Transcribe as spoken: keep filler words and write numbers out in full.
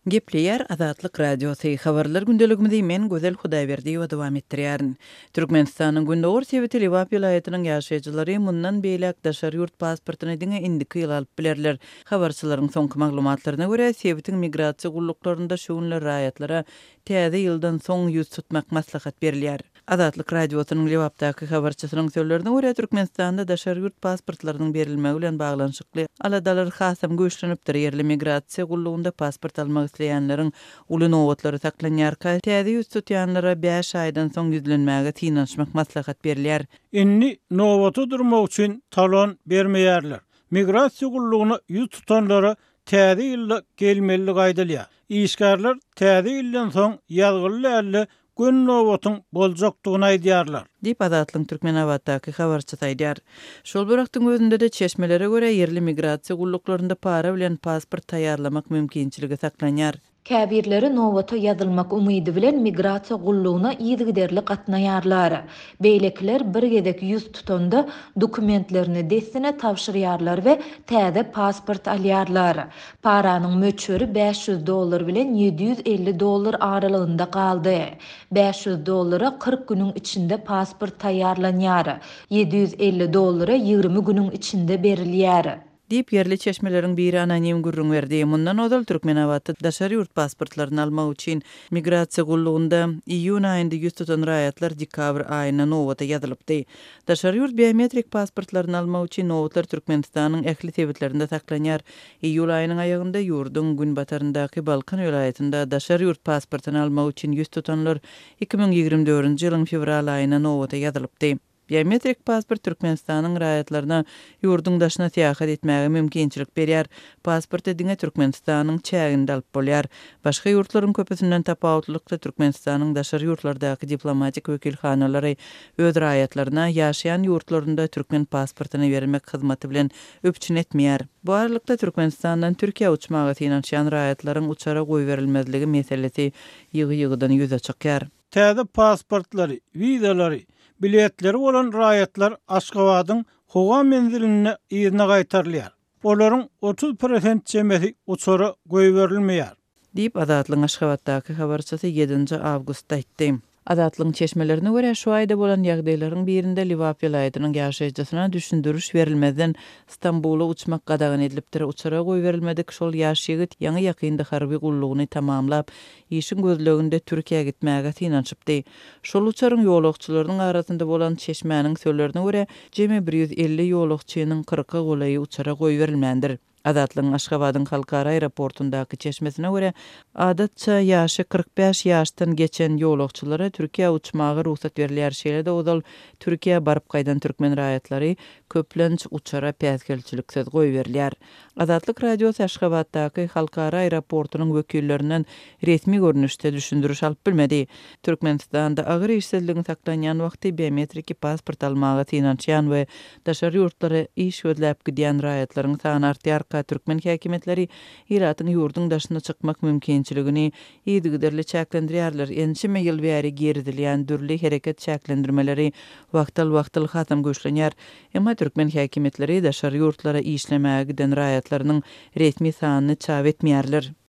Gepleýär Azatlyk Radiosy, Habarlar gündeligimizi men Gözel Hudaýberdiýewa dowam etdirýärin. Türkmenistanyň gündogar sebiti Lebap welaýatynyň ýaşaýjylary mundan beýläk daşary ýurt pasportyny diňe indiki ýyl alyp bilerler. Habarçylaryň soňky maglumatlaryna görä, sebitiň migrasiýa gulluklarynda şu günler raýatlara täze ýyldan soň ýüz tutmak maslahat berilýär. Azatlyk Radiosynyň Lebapdaky habarçysynyň sözlerine görä, Türkmenistanda daşary ýurt pasportlarynyň berilmegi bilen baglanyşykly aladalar hasam güýçlenipdir. Ýerli migrasiýa gullugynda pasport almak isleýänleriň uly nobatlary saklanýarka, täze ýüz tutýanlara bäş aýdan soň ýüzlenmäge synanyşmak maslahat berilýär. Indi nobata durmak üçin talon bermeýärler. Migrasiýa gullugyna ýüz tutanlara täze ýylda gelmelidigi aýdylýar. Işgärler täze ýyldan soň ýazgyly däl-de, göni nobatyň boljakdygyny aýdýarlar. Diýip, Azatlygyň Türkmenabatdaky habarçysy aýdýar. Şol bir wagtyň özünde-de, çeşmelere görä, ýerli migrasiýa gulluklarynda para bilen pasport taýýarlamak mümkinçiligi saklanýar. Käbirleri nobata ýazylmak umydy bilen migrasiýa gullugyna yzygiderli gatnaýarlar. Beýlekiler bir gezek ýüz tutanda, dokumentlerini dessine tabşyrýarlar we täze pasport alýarlar. Paranyň möçberi bäş ýüz dollar bilen ýedi ýüz elli dollar aralygynda galdy. Bäş ýüz dollara kyrk günüň içinde pasport taýýarlanýar, ýedi ýüz elli dollara ýigrimi günüň içinde berilýär. Diýip, ýerli çeşmeleriň biri anonim gürrüň berdi. Mundan ozal, Türkmenabatda daşary ýurt pasportlaryny almak üçin migrasiýa gullugynda iýun aýynda ýüz tutan raýatlar dekabr aýyna nobata ýazylypdy. Daşary ýurt biometrik pasportlaryny almak üçin nobatlar Türkmenistanyň ähli sebitlerinde saklanýar. Iýul aýynyň aýagynda ýurduň günbataryndaky Balkan welaýatynda daşary ýurt pasportyny almak üçin ýüz tutanlar iki müň ýigrimi dördünji ýylyň fewral aýyna nobata ýazylypdy. Biometrik pasport Türkmenistanyň raýatlaryna ýurduň daşyna syýahat etmäge mümkinçilik berýär. Pasporty diňe Türkmenistanyň çäginde alyp bolýar. Başga ýurtlaryň köpüsinden tapawutlylykda Türkmenistanyň daşary ýurtlardaky diplomatik wekilhanalary öz raýatlaryna ýaşaýan ýurtlarynda türkmen pasportyny bermek hyzmaty bilen üpjün etmeýär. Bu aralykda Türkmenistandan Türkiýä uçmaga synanyşýan raýatlaryň uçara goýberilmezligi meselesi ýygy-ýygydan ýüze çykýar. Täze pasportlary, wizalary, biletleri bolan raýatlar Aşgabadyň howa menzilinde yzyna gaýtarylýar. Olaryň otuz prosent çemesi uçara goýberilmeýär. Diýip, Azatlygyň Aşgabatdaky habarçysy ýedinji awgustda aýtdy. Azatlygyň çeşmelerine görä, şu aýda bolan ýagdaýlaryň birinde Lebap welaýatynyň ýaşaýjysyna düşündiriş berilmezden Stambula uçmak gadagan edilipdir. Uçara goýberilmedik şol ýaş ýigit ýaňy-ýakynda harby gullugyny tamamlap, işiň gözleginde Türkiýä gitmäge synanyşypdy. Şol uçaryň ýolagçylarynyň arasynda bolan çeşmäniň sözlerine görä, jemi bir ýüz elli ýolagçynyň kyrka golaýy uçara goýberilmändir. Azatlygyň Aşgabadyň halkara aeroportundaky çeşmesine görä, adatça ýaşy kyrk bäş ýaşdan geçen ýolagçylara Türkiýä uçmaga rugsat berilýär. Şeýle-de ozal Türkiýä baryp gaýdan türkmen raýatlary köplenç uçara päsgelçiliksiz goýberilýär. Azatlyk Radiosy Aşgabatdaky halkara aeroportunyň wekillerinden resmi görnüşde düşündiriş alyp bilmedi. Türkmenistanda agyr işsizligiň saklanýan wagty biometriki pasport almaga synanyşýan we daşary ýurtlara iş gözläp gidýän raýatlaryň sany artýarka, türkmen häkimiýetleri ilatyň ýurduň daşyna çykmak mümkinçiligini yzygiderli çäklendirýärler. Ençeme ýyl bäri girizilýän dürli hereket çäklendirmeleri wagtal-wagtal hasam güýçlenýär. Emma türkmen häkimiýetleri daşary ýurtlara işlemäge giden raýatlarynyň resmi sanyny çap etmeýärler.